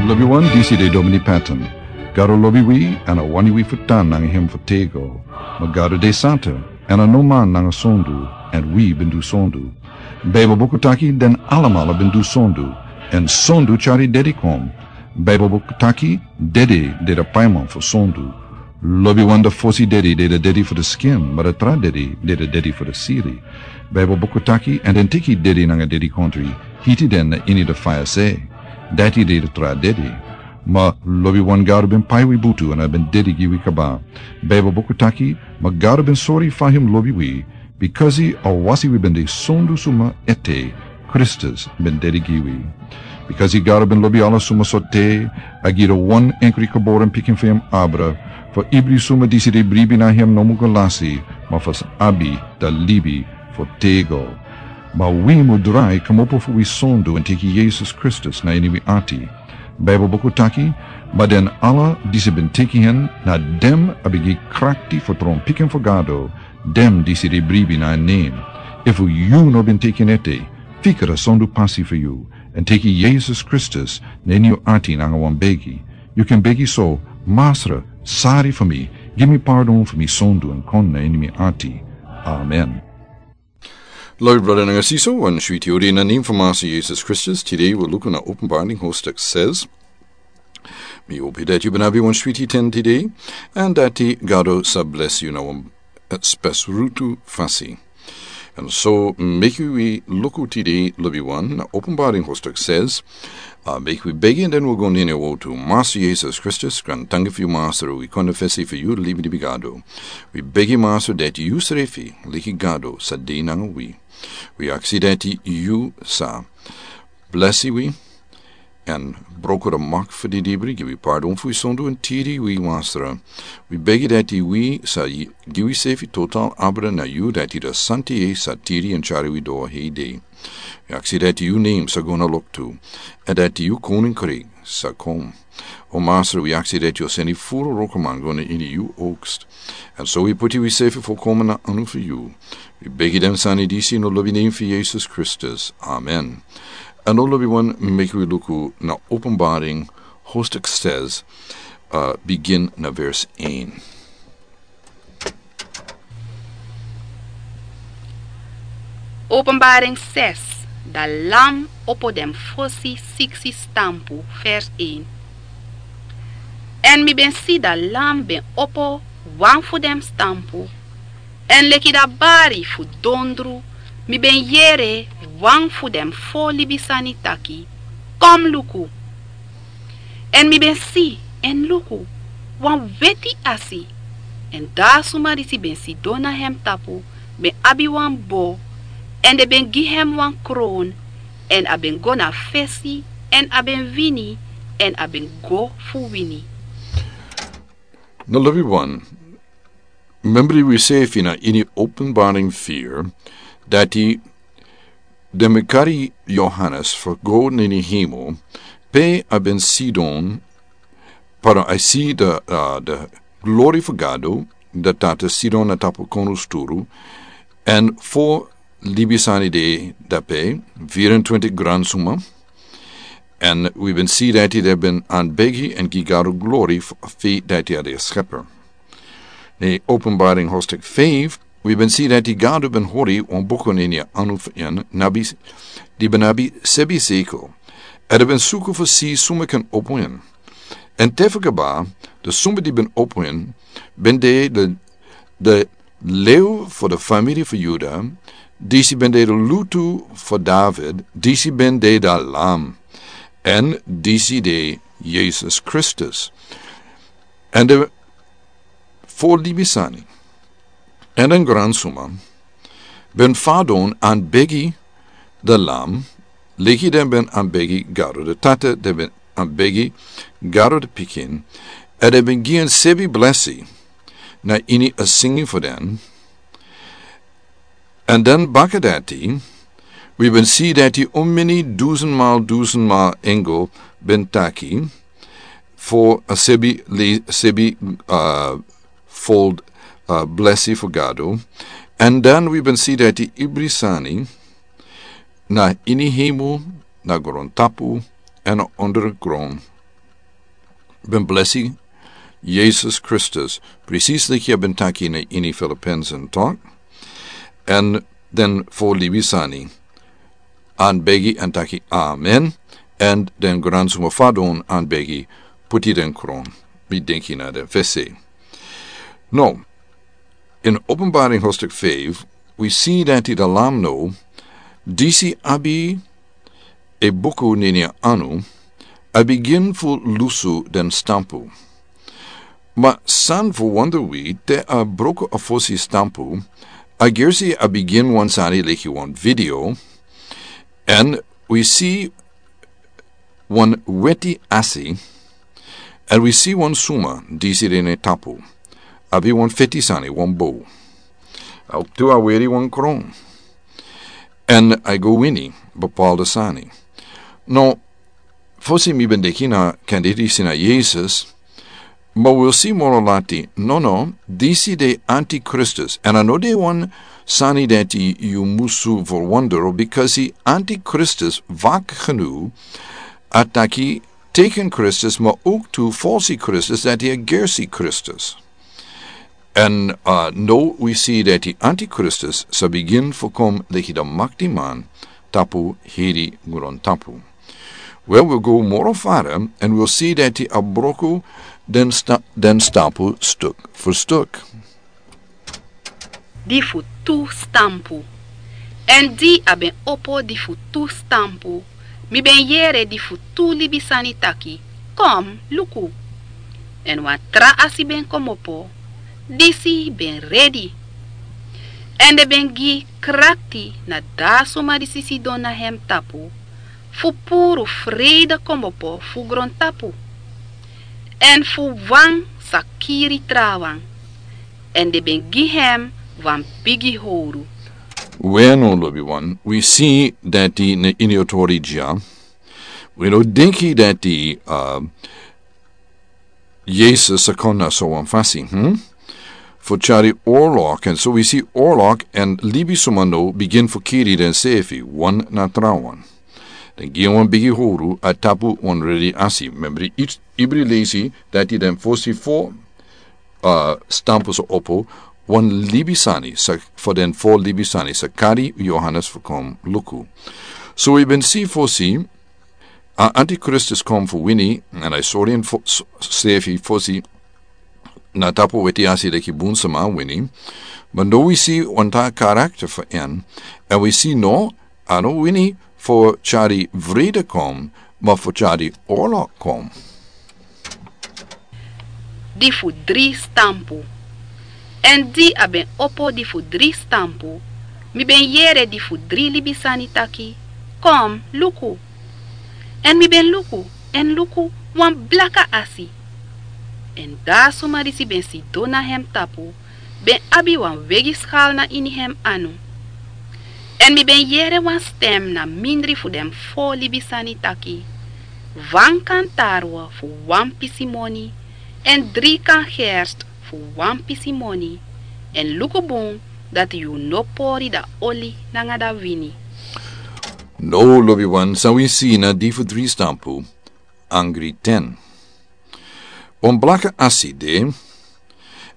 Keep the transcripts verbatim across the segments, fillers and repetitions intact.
Lobiwan, disi de Domini Patton. Gado lobi wi, èn a wani wi fu tan nanga hem fu tego. Ma Gado de santa, èn a no man nanga sondu, èn wi ben du sondu. Baibel buku taki den alamala ben du sondu, èn sondu tyari dedi kon. Baibel buku taki dedi de da paiman fu sondu. Lobiwan, da fosi dedi de da dedi fu da skin, ma da tra dedi de da dedi fu da siri. Baibel buku taki, èn den teki dedi nanga dedikontri, hiti den na ini da faya se. Dati de da tra dedi. Ma lobiwan, Gado ben pai wi butu èn a ben dedi gi wi kaba. Baibel buku taki, ma Gado ben sori fa hem lobi wi, bikasi a wasi wi ben de sondu suma ete, Kristus ben dedi gi wi. Bikasi Gado ben lobi ala suma sortu, a gi da wan enkri geboren pikin fu hem abra, fu ibri suma disi de bribi na hem no mu go lasi, ma fu sa abi da libi fu tego. Ma wi mu drai kmopo fu wi sondu èn teki Yesus Kristus na ini wi ati. Baibel buku taki, ma den ala disi ben teki hen, na den a ben gi krakti fu tron pikin fu Gado, den disi de bribi na en nen. Efu yu no ben teki en ete, fika da sondu pasi fu yu, èn teki Yesus Kristus na ini yu ati nanga wan begi. Yu kan begi so: Masra, sari fu mi, gi mi pardon fu mi sondu èn kon na ini mi ati. Amen. Lobi brada nanga sisa, wan switi odi na nen fu Masra Yesus Kristus. Tide wi luku na Openbaring hoofdstuk zes. Mi hopi dati yu ben abi wan switi ten tide, èn dati Gado sa blesi yu na wan, eh, spesrutu fasi. Èn so meki wi luku tide, lobiwan, na Openbaring hoofdstuk zes. Ah, meki wi begi èn den wi go na ini a wortu. Masra Yesus Kristus, grantangi fu yu Masra, wi kon na fesi fu yu, libi libi Gado. Wi begi Masra dati yu srefi, leki Gado, sa de nanga wi. Wi aksi dati yu sa blesi wi, èn broko da mak fu di dibri, gi wi pardon fu wi sondu èn tiri wi Masra. Wi begi dati wi sa gi wi sefi total abra na yu, dati da Santi sa tiri èn tyari wi doro hei dei. Wi aksi dati yu nen sa go na loktu, èn dati yu koninkri sa kon. O Masra, wi aksi dati yu o seni furu wrokoman go na ini yu oogst. Èn so wi puti wi sefi folkomen na anu fu yu. Wi begi den sani disi na lobi nen fu Yesus Kristus. Amen. Èn now, lobiwan, meki wi luku na Openbaring hoofdstuk zes, eh, bigin na vers één. Openbaring zes, da Lam opo den fosi siksi stampu, vers één. Èn mi ben si da Lam ben opo wan fu den stampu, èn leki da bari fu dondru, mi ben yere wan fu den fo libisani taki: Kon luku. Èn mi ben si, èn luku, wan weti asi. Èn da a suma disi ben sidon na hem tapu ben abi wan bo, èn den ben gi hem wan kron, èn a ben go na fesi, èn a ben wini, èn a ben go fu wini. Na, lobiwan, membri wi sefi na ini Openbaring vier, dati den ben kari Yohanes fu go na ini hemel, pe a ben sidon, pardon, a si da, ah, da glori fu Gado, da Tata sidon na tapu kondrusturu, èn fo libisani de dape, vierentwintig gransuma, èn wi ben si dati den ben anbegi èn gi Gado glori fu, fu dati a de Schepper. Na Openbaring hoofdstuk vijf, wi ben si dati Gado ben hori wan buku na ini a anu fu en, na bi, di ben abi sebi sekel. Èn den ben suku fu si suma kan opo en. Èn te fu kaba, da suma di ben opo en, ben de da, da lew fu da famiri fu Yuda, disi ben de da lutu fu David, disi ben de da Lam, èn disi de Yesus Kristus. Èn den fo libisani èn den gransuma ben fadon anbegi da Lam, leki den ben anbegi Gado da Tata, den ben anbegi Gado da Pikin, èn den ben gi en sebi blesi na ini a singi fu den. Èn dan baka dati, wi ben si dati omeni dusenmal, dusenmal engel ben taki fu a sebi le, sebi, ah, fold, ah, blesi fu Gado. Èn dan wi ben si dati ibri sani na ini hemel, na grontapu, èn na ondergron, ben blesi Yesus Kristus, presis leki a ben taki na ini Filippenzen tok. Èn den fo libisani anbegi èn taki amen. Èn den gransuma fadon anbegi puti den kron. Mi denki na den fesi. No, in Openbaring hoofdstuk vijf, we see that in the Lamb no, disi abi e buku nini anu, a begin fu lusu den stampu. Ma san fu wonder wi te a broko a fosi stampu, a gersi a begin wan sani leki wan video, and we see wan weti asi, and we see wan suma disi den e tapu. Abi wan feti sani, wan bow. Au tu a weri wan kron. And I go wini, bepaalde sani. No, fosi mi ben deki na kandidisi na Yesus, ma wil si moro lati, no, no, disi de antikristus. And a no de wan sani dati yu musu for wonder, because si antikristus vak genu, a taki teken Kristus, ma ook tu falsi Kristus, dati a gersi Kristus. En, uh, no, we see dati antikristus sa begin fu kom leki de maktiman tapu heri gron tapu. Well, we'll go moro fara, and we'll see dati a broko den sta-, den stampu stuk fu stuk. Di fu tu stampu. En di a ben opo di fu tu stampu, mi ben yere di fu tu libisani taki: Kom, luku. En wan tra asi ben komopo, disi ben redi. En den ben gi krakti na da suma disi sidon na hem tapu, fu puru freide komopo fu grontapu, en fu wan sa kiri trawan, en den ben gi hem wan bigi howru. Weno, lobiwan, we si dati na ini otori dya. We no denki dati, uh, Yesus sa kon na so wan fasi, hmm? Fu tyari orlok, en so we si orlok, en libisuma no begin fu kiri densefi, wan na trawan. Den gi wan bigi howru a tapu wan redi asi. Membri, ibri lesi dati den fosi fo, uh, stampu sa opo, wan libisani, sa, fu den fo libisani, sa kari Yohanes fu kom luku. So we ben si fosi, a antikristus kom fu wini, en a sori en fo-, s-, sefi fosi na tapu weti asi leki bun sama wini. Ma no, we si wan tra karakter fu en, en we si no, a no wini fu tyari vrede kom, ma fu tyari orlok kom. Di fu dri stampu. En di a ben opo di fu dri stampu, mi ben yere di fu dri libisani taki: Kom, luku. En mi ben luku, en luku, wan blaka asi. En da suma disi ben sidon na hem tapu ben abi wan wegiskal na ini hem anu. En mi ben yere wan stem na mindri fu den fo libisani taki: Wan kan tarwe fu wan pisi moni, en dri kan gerst fu wan pisi moni, en luku bun dati yu no pori da oli nanga da wini. No, lobiwan, san we si na di fu dri stampu, angri ten. Wan blaka asi de,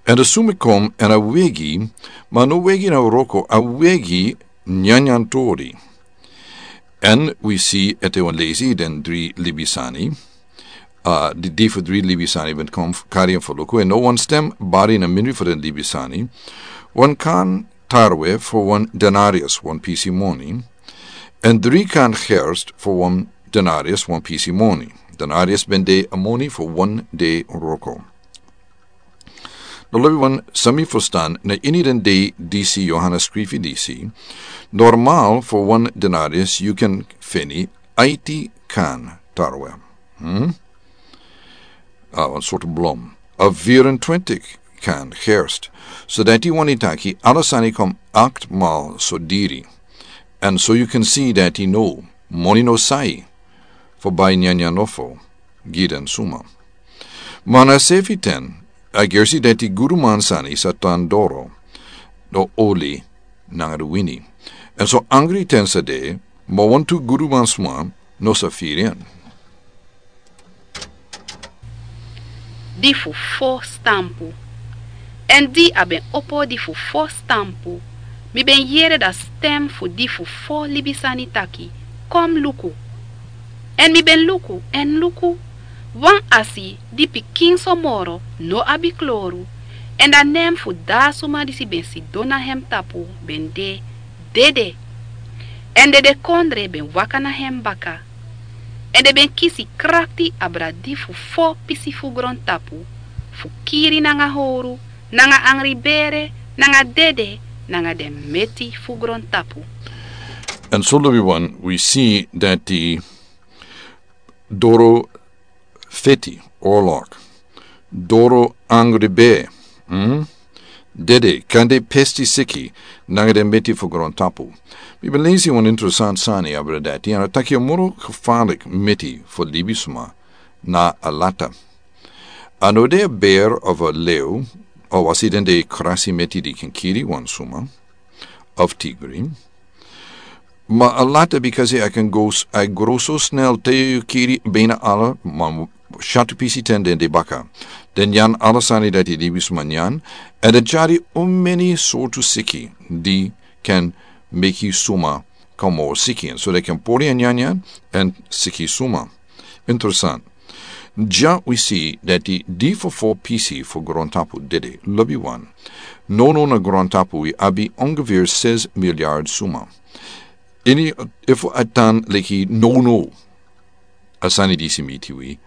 en a sumi kom, en a wegi, ma no wegi na wroko, a wegi nyanyan tori. En we si ete wan lesi den dri libisani, uh, di, di fu dri libisani ben kom f-, kari en fu luku, en no wan stem bari na mindri fu den libisani: Wan kan tarwe fu wan denarius, wan pisi moni, en dri kan gerst fu wan denarius, wan pisi moni. Denarius ben de a moni fu wan dei wroko. No, lobiwan, san mi fustan, na ini den dei disi Yohanes skrifi disi, normal fu wan denarius yu kan feni aiti kan tarwe. Hmm? Uh, wan sortu blom. A vierentwintig kan gerst. So dati wani taki ala sani kom acht mal so diri. En so yu kan si dati no, moni no sai fu bai nyanyan nofo gi den suma. Ma na sefi ten, a gersi dati guduman sani sa tan doro, no oli nanga du wini. En so angri ten sa de, ma wantu guduman suma no sa firi en. Di fu fo stampu. Èn di a ben opo di fu fo stampu, mi ben yere da sten fu di fu fo libisani taki: Kon luku. Èn mi ben luku, èn luku, wan asi di pikinso moro no abi kloru, èn da nen fu da a suma disi ben sidon na en tapu ben de dede. Èn dedekondre ben waka na en baka. Èn den ben kisi krakti abra di fu fo pisi fu grontapu, fu kiri nanga howru, nanga angribere, nanga dede, nanga den meti fu grontapu. Èn so lobiwan, wi si dati doro feti, orlok, doro angribere, dede, kande pesti siki nanga den meti fu grontapu. Mi ben lesi wan interesan sani abra dati, èn a taki a moro kefalik meti fu libisma na a lata. A no de a ber of a leu, a wasi den de krasi meti di ken kiri wan suma of tigri. Ma a lata, bikasi a ken go s-, a gro so snel te yu kiri bina ala, ma shatu pisi ten den de baka. Den nyan ala sani dati libisma nyan, èn den tyari un meni sortu siki di ken meki suma kon moro siki. Èn so den ken pori en nyanyan èn siki suma. Interesan. Dya wi si dati di fu fo pisi fu grontapu dede, lobiwan. Nono na grontapu wi abi ongeveer ses milyard suma. Ini, efu a tan leki nono, a sani disi miti wi.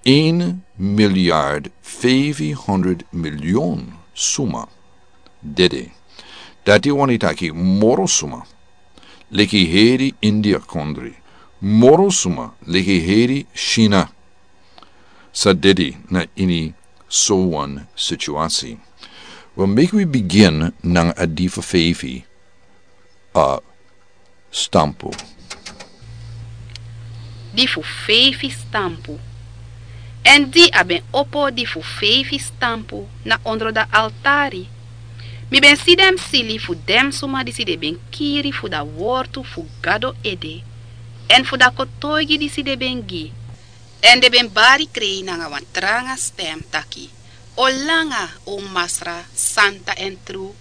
Een milyard vijfhonderd miljoen suma dede. Dati wani taki moro suma leki heri India kondri. Moro suma leki heri China sa dede na ini so wan situasi. Wel, meki wi bigin nanga a di fu feifi, a stampu. Di fu feifi stampu. Èn di a ben opo di fu feifi stampu na ondro da altari, mi ben si den sili fu den suma disi den ben kiri fu da wortu fu Gado ede, èn fu da kotoigi disi den ben gi. Èn den ben bari krei nanga wan tranga stem taki: O langa, o Masra, santa èn tru,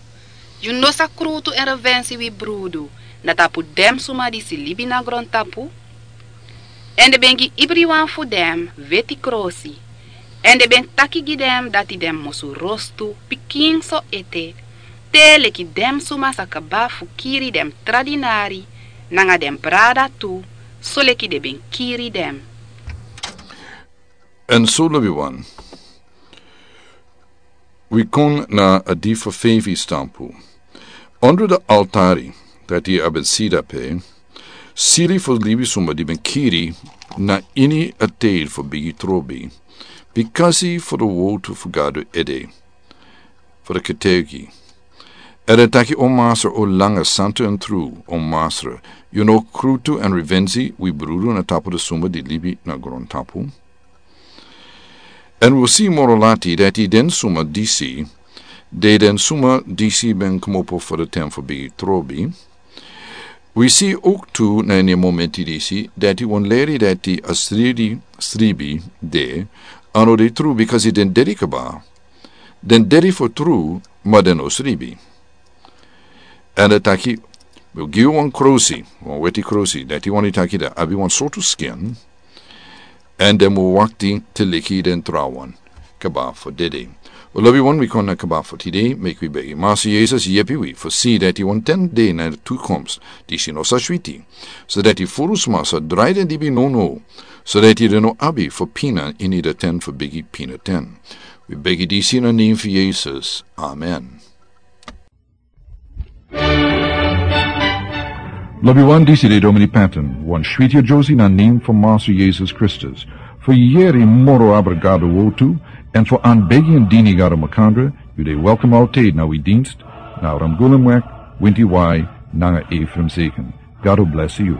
yu no sa krutu èn revensi wi brudu na tapu den suma disi libi na grontapu? Èn den ben gi ibriwan fu den weti krosi, èn den ben taki gi den dati den musu rostu pikinso ete, te leki den suma sa kaba fu kiri den tra dinari nanga den brada tu, soleki den ben kiri den. Èn so, lobiwan, wi kon na a di fu feifi stampu. Ondro da altari dati a ben si dape, sili fu libisuma di ben kiri na ini a tide fu bigi trobi, bikasi fu da wortu fu Gado ede, fu da ketegi. Èn a taki: O Masra, o langa, santa èn tru, o Masra, yu no krutu èn revensi wi brudu na tapu da suma di libi na grontapu? Èn wi si moro lati dati den suma disi, de den suma disi ben kmopo fu da ten fu bigi trobi. Wi si ook tu na ini a momenti disi dati wan leri dati a sridi sribi de, a no de tru, bikasi den dedi kaba. Den dedi fu tru, ma den no sribi. Èn a taki: Mi o gi yu wan krosi, wan weti krosi, dati wani taki da abi wan sortu skin, èn den mu wakti te leki den trawan kaba fu dede. Wel, lobiwan, wi kon na kaba fu tide, meki wi begi Masra Yesus yepi wi fu si dati wan ten de na toekomst disi no sa switi, sodati furu sma sa drai den libi nono, sodati den no abi fu pina ini da ten fu bigi pina ten. Wi begi disi na nen fu Yesus. Amen. Lobiwan, disi de Domini Patton, wan switi a Josie na nen fu Masra Yesus Kristus. Fu yere moro abra Gado wortu, èn fu anbegi èn dini Gado makandra, yu de welkom altijd na wi dienst, na Ramgulumweg, Winti Wai, nanga Ephraim Zeken. Gado bless yu.